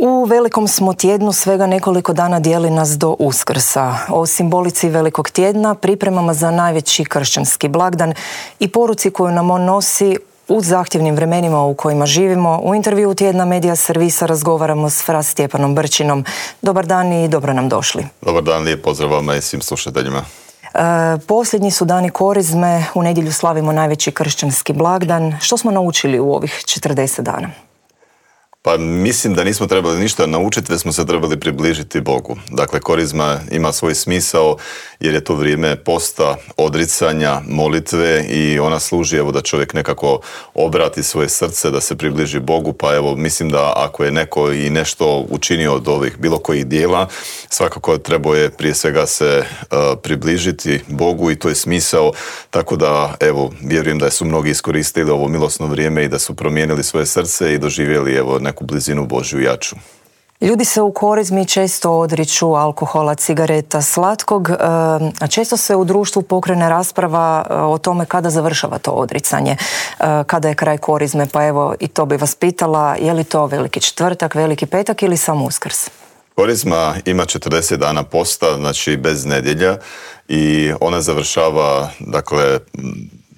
U velikom smo tjednu, svega nekoliko dana dijeli nas do Uskrsa. O simbolici velikog tjedna, pripremama za najveći kršćanski blagdan i poruci koju nam on nosi u zahtjevnim vremenima u kojima živimo, u intervjuu Tjedna Medija Servisa razgovaramo s fra Stjepanom Brčinom. Dobar dan i dobro nam došli. Dobar dan, lijep pozdrav vama i svim slušateljima. Posljednji su dani Korizme, u nedjelju slavimo najveći kršćanski blagdan. Što smo naučili u ovih 40 dana? Pa mislim da nismo trebali ništa naučiti, već smo se trebali približiti Bogu. Dakle, Korizma ima svoj smisao jer je to vrijeme posta, odricanja, molitve i ona služi da čovjek nekako obrati svoje srce, da se približi Bogu. Pa evo, mislim da ako je neko i nešto učinio od ovih bilo kojih dijela, svakako trebao je prije svega se približiti Bogu i to je smisao. Tako da, evo, vjerujem da su mnogi iskoristili ovo milosno vrijeme i da su promijenili svoje srce i doživjeli neku blizinu Božju jaču. Ljudi se u Korizmi često odriču alkohola, cigareta, slatkog, a često se u društvu pokrene rasprava o tome kada završava to odricanje, kada je kraj Korizme, pa evo i to bi vas pitala, je li to veliki četvrtak, veliki petak ili samo Uskrs? Korizma ima 40 dana posta, znači bez nedjelja i ona završava, dakle,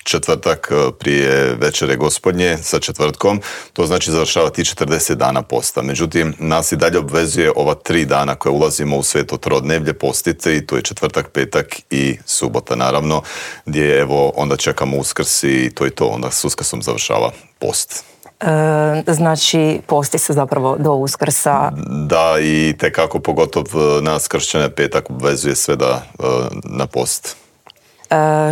četvrtak prije večere gospodnje sa četvrtkom, to znači završava ti 40 dana posta. Međutim, nas i dalje obvezuje ova 3 dana koje ulazimo u sveto trodnevlje postite i to je četvrtak, petak i subota naravno, gdje evo onda čekamo Uskrs i to je to, onda s Uskrsom završava post. Znači posti se zapravo do Uskrsa. Da, i tekako pogotovo nas kršćane petak obvezuje sve da na post.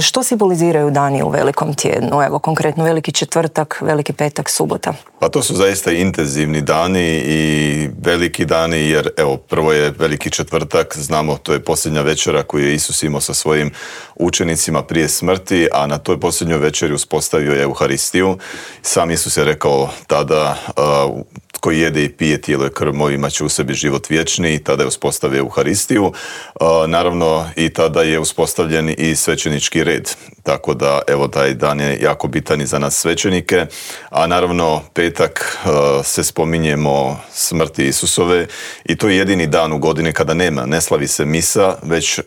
Što simboliziraju dani u velikom tjednu? Evo, konkretno veliki četvrtak, veliki petak, subota. Pa to su zaista intenzivni dani i veliki dani, jer evo, prvo je veliki četvrtak, znamo, to je posljednja večera koju je Isus imao sa svojim učenicima prije smrti, a na toj posljednjoj večeri uspostavio je Euharistiju. Sam Isus je rekao tada, koji jede i pije tijelo i krv moju imat će u sebi život vječni, i tada je uspostavio Euharistiju. Naravno, i tada je uspostavljen i svećenički red. Tako da, evo, taj dan je jako bitan i za nas svećenike. A naravno, petak se spominjemo smrti Isusove i to je jedini dan u godini kada ne slavi se misa, već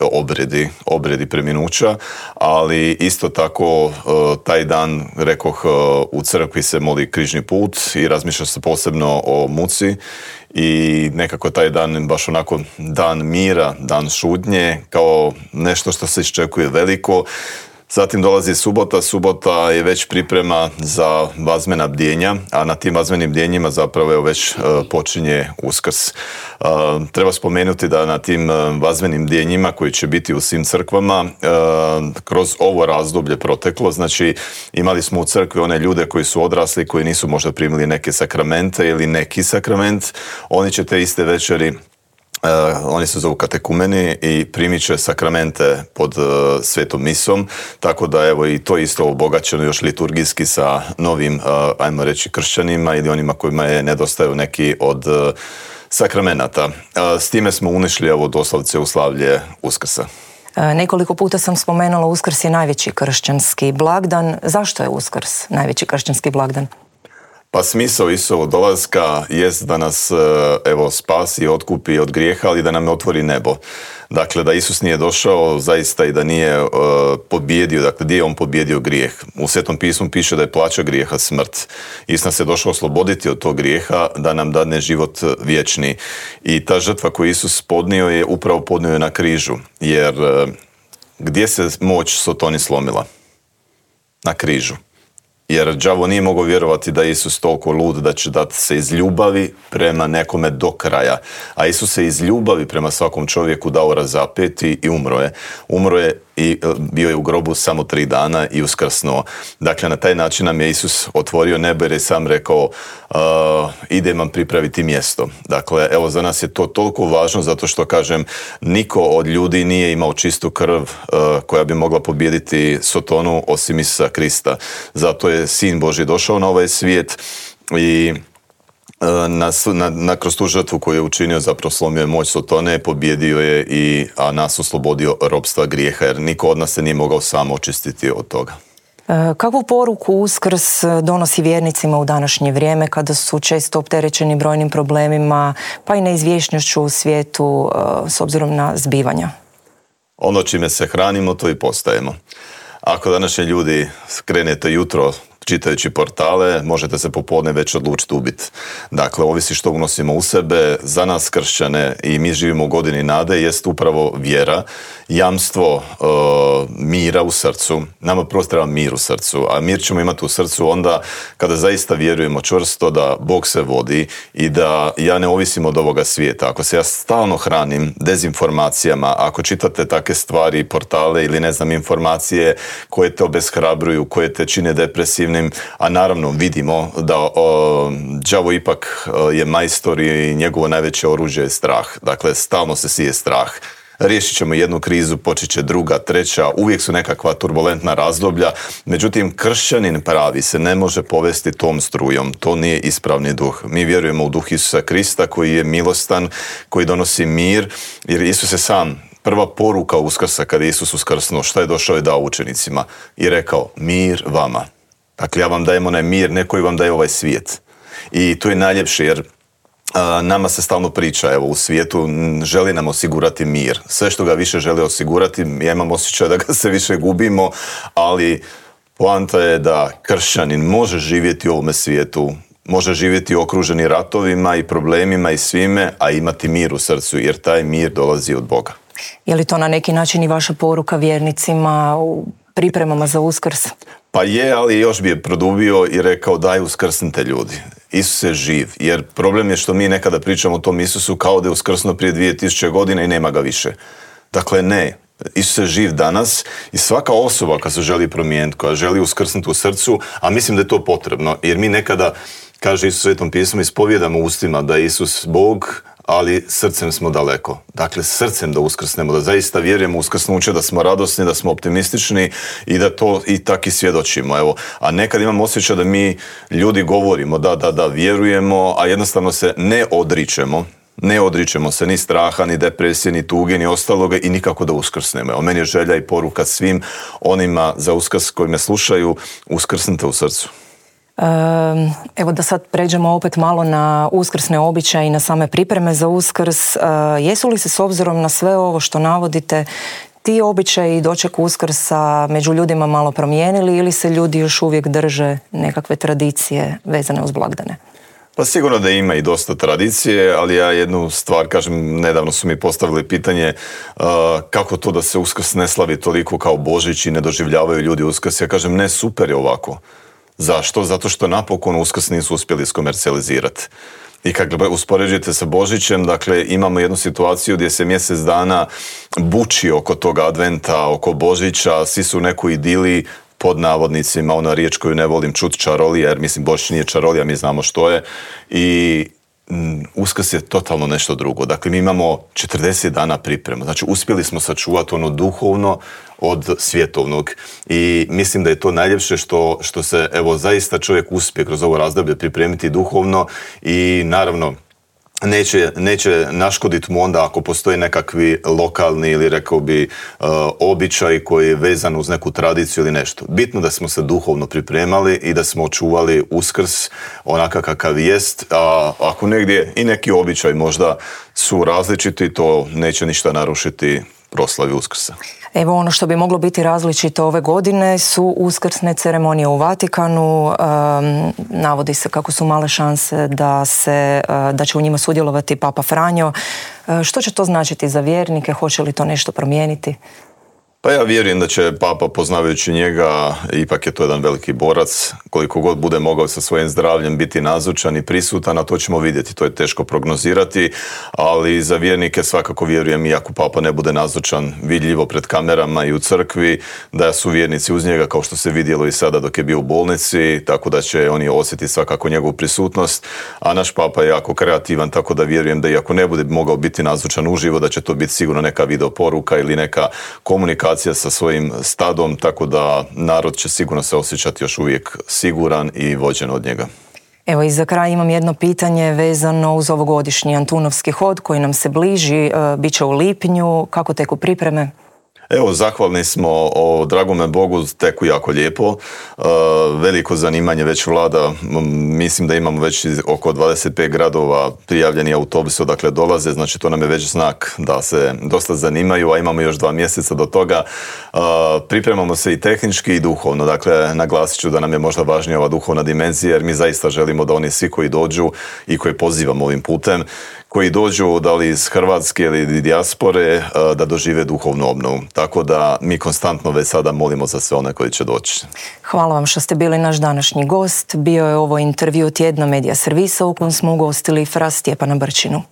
obredi preminuća, ali isto tako taj dan, rekoh, u crkvi se moli križni put i razmišlja se posebno o muci i nekako taj dan baš onako dan mira, dan šutnje, kao nešto što se iščekuje veliko. Zatim dolazi subota je već priprema za vazmena bdjenja, a na tim vazmenim bdjenjima zapravo je već počinje Uskrs. Treba spomenuti da na tim vazmenim bdjenjima koji će biti u svim crkvama kroz ovo razdoblje proteklo, znači imali smo u crkvi one ljude koji su odrasli, koji nisu možda primili neke sakramente ili neki sakrament, oni će te iste večeri oni se zovu katekumeni i primit će sakramente pod svetom misom, tako da evo i to isto obogaćeno još liturgijski sa novim, ajmo reći, kršćanima ili onima kojima je nedostaju neki od sakramenata. S time smo unišli evo doslovce u slavlje Uskrsa. Nekoliko puta sam spomenula Uskrs je najveći kršćanski blagdan. Zašto je Uskrs najveći kršćanski blagdan? Pa smisao Isusovog dolaska jest da nas evo spasi, otkupi od grijeha, ali da nam otvori nebo. Dakle, da Isus nije došao zaista i da nije pobjedio, dakle, gdje je on pobjedio grijeh. U Svetom pismu piše da je plaća grijeha smrt. Isus nas je došao osloboditi od tog grijeha, da nam dadne život vječni. I ta žrtva koju Isus podnio je upravo podnio na križu. Jer gdje se moć Sotoni slomila? Na križu. Jer đavo nije mogao vjerovati da je Isus toliko lud da će dati se iz ljubavi prema nekome do kraja. A Isus se iz ljubavi prema svakom čovjeku dao razapeti i umro je. Umro je i bio je u grobu samo 3 dana i uskrsnuo. Dakle, na taj način nam je Isus otvorio nebo jer je sam rekao idem vam pripraviti mjesto. Dakle, evo, za nas je to toliko važno zato što, kažem, niko od ljudi nije imao čistu krv koja bi mogla pobijediti Sotonu osim Isusa Krista. Zato je Sin Božji došao na ovaj svijet i kroz tu žrtvu koju je učinio zapravo slomio je moć Sotone, pobjedio je a nas oslobodio ropstva grijeha, jer niko od nas se nije mogao sam očistiti od toga. Kakvu poruku Uskrs donosi vjernicima u današnje vrijeme kada su često opterećeni brojnim problemima pa i neizvjesnošću u svijetu s obzirom na zbivanja? Ono čime se hranimo, to i postajemo. Ako današnji ljudi krenete jutro čitajući portale, možete se popodne već odlučiti ubiti. Dakle, ovisi što unosimo u sebe. Za nas kršćane, i mi živimo u godini nade, jest upravo vjera, jamstvo mira u srcu. Nama prvo treba mir u srcu, a mir ćemo imati u srcu onda kada zaista vjerujemo čvrsto da Bog se vodi i da ja ne ovisim od ovoga svijeta. Ako se ja stalno hranim dezinformacijama, ako čitate takve stvari, portale ili ne znam informacije koje te obeshrabruju, koje te čine depresivnim, a naravno vidimo da đavo ipak je majstor i njegovo najveće oružje je strah. Dakle, stalno se sije strah. Riješit ćemo jednu krizu, počet će druga, treća, uvijek su nekakva turbulentna razdoblja. Međutim, kršćanin pravi se ne može povesti tom strujom. To nije ispravni duh. Mi vjerujemo u duh Isusa Krista koji je milostan, koji donosi mir, jer Isus je sam. Prva poruka Uskrsa kada je Isus uskrsnuo, što je došao i dao učenicima i rekao mir vama. Dakle, ja vam dajem onaj mir, ne koji vam daje ovaj svijet. I to je najljepše jer nama se stalno priča, evo, u svijetu želi nam osigurati mir. Sve što ga više želi osigurati, ja imam osjećaj da ga se više gubimo, ali poanta je da kršćanin može živjeti u ovome svijetu, može živjeti okruženi ratovima i problemima i svime, a imati mir u srcu, jer taj mir dolazi od Boga. Je li to na neki način i vaša poruka vjernicima u pripremama za Uskrs? Pa je, ali još bi je produbio i rekao daj uskrsnite ljudi. Isus je živ, jer problem je što mi nekada pričamo o tom Isusu kao da je uskrsnuo prije 2000 godina i nema ga više. Dakle, ne. Isus je živ danas i svaka osoba koja se želi promijeniti, koja želi uskrsnuti u srcu, a mislim da je to potrebno, jer mi nekada, kaže Isus u Svetom pismu, ispovjedamo ustima da je Isus Bog, ali srcem smo daleko. Dakle, srcem da uskrsnemo, da zaista vjerujemo u uskrsnuće, da smo radosni, da smo optimistični i da to i tako i svjedočimo. Evo. A nekad imam osjećaj da mi ljudi govorimo da vjerujemo, a jednostavno se ne odričemo. Ne odričemo se ni straha, ni depresije, ni tuge, ni ostaloga i nikako da uskrsnemo. Evo, meni je želja i poruka svim onima za Uskrs koji me slušaju, uskrsnite u srcu. Evo da sad pređemo opet malo na uskrsne običaje i na same pripreme za Uskrs. Jesu li se s obzirom na sve ovo što navodite ti običaji i doček Uskrsa među ljudima malo promijenili ili se ljudi još uvijek drže nekakve tradicije vezane uz blagdane? Pa sigurno da ima i dosta tradicije, ali ja jednu stvar kažem, nedavno su mi postavili pitanje kako to da se Uskrs ne slavi toliko kao Božić i ne doživljavaju ljudi Uskrs. Ja kažem ne, super je ovako. Zašto? Zato što napokon Uskrs nisu uspjeli iskomercijalizirati. I kad uspoređujete sa Božićem, dakle, imamo jednu situaciju gdje se mjesec dana buči oko toga adventa, oko Božića, svi su u nekoj idili, pod navodnicima, ona riječ koju ne volim čut, čarolija, jer mislim Božić nije čarolija, mi znamo što je. I Uskrs je totalno nešto drugo. Dakle, mi imamo 40 dana priprema. Znači, uspjeli smo sačuvati ono duhovno od svjetovnog. I mislim da je to najljepše što se, evo, zaista čovjek uspije kroz ovo razdoblje pripremiti duhovno i naravno neće naškoditi mu onda ako postoji nekakvi lokalni ili rekao bi običaj koji je vezan uz neku tradiciju ili nešto. Bitno da smo se duhovno pripremali i da smo očuvali Uskrs onaka kakav jest, a ako negdje i neki običaj možda su različiti, to neće ništa narušiti proslavi Uskrsa. Evo, ono što bi moglo biti različito ove godine su uskrsne ceremonije u Vatikanu. Navodi se kako su male šanse da će u njima sudjelovati Papa Franjo. Što će to značiti za vjernike? Hoće li to nešto promijeniti? Pa ja vjerujem da će Papa, poznavajući njega, ipak je to jedan veliki borac, koliko god bude mogao sa svojim zdravljem biti nazočan i prisutan, a to ćemo vidjeti, to je teško prognozirati, ali za vjernike svakako vjerujem, iako Papa ne bude nazočan vidljivo pred kamerama i u crkvi, da su vjernici uz njega, kao što se vidjelo i sada dok je bio u bolnici, tako da će oni osjetiti svakako njegovu prisutnost, a naš Papa je jako kreativan, tako da vjerujem da iako ne bude mogao biti nazočan uživo, da će to biti sigurno neka video poruka ili neka komunikacija sa svojim stadom, tako da narod će sigurno se osjećati još uvijek siguran i vođen od njega. Evo i za kraj imam jedno pitanje vezano uz ovogodišnji Antunovski hod koji nam se bliži, bit će u lipnju. Kako teku pripreme? Evo, zahvalni smo, dragome Bogu, teku jako lijepo. Veliko zanimanje već vlada. Mislim da imamo već oko 25 gradova prijavljeni autobusi odakle dolaze, znači to nam je već znak da se dosta zanimaju, a imamo još 2 mjeseca do toga. Pripremamo se i tehnički i duhovno, dakle naglasit ću da nam je možda važnija ova duhovna dimenzija, jer mi zaista želimo da oni svi koji dođu i koji pozivamo ovim putem, koji dođu da li iz Hrvatske ili dijaspore, da dožive duhovnu obnovu. Tako da mi konstantno već sada molimo za sve one koji će doći. Hvala vam što ste bili naš današnji gost. Bio je ovo intervju tjedna Medija servisa u kojem smo ugostili fra Stjepana Brčinu.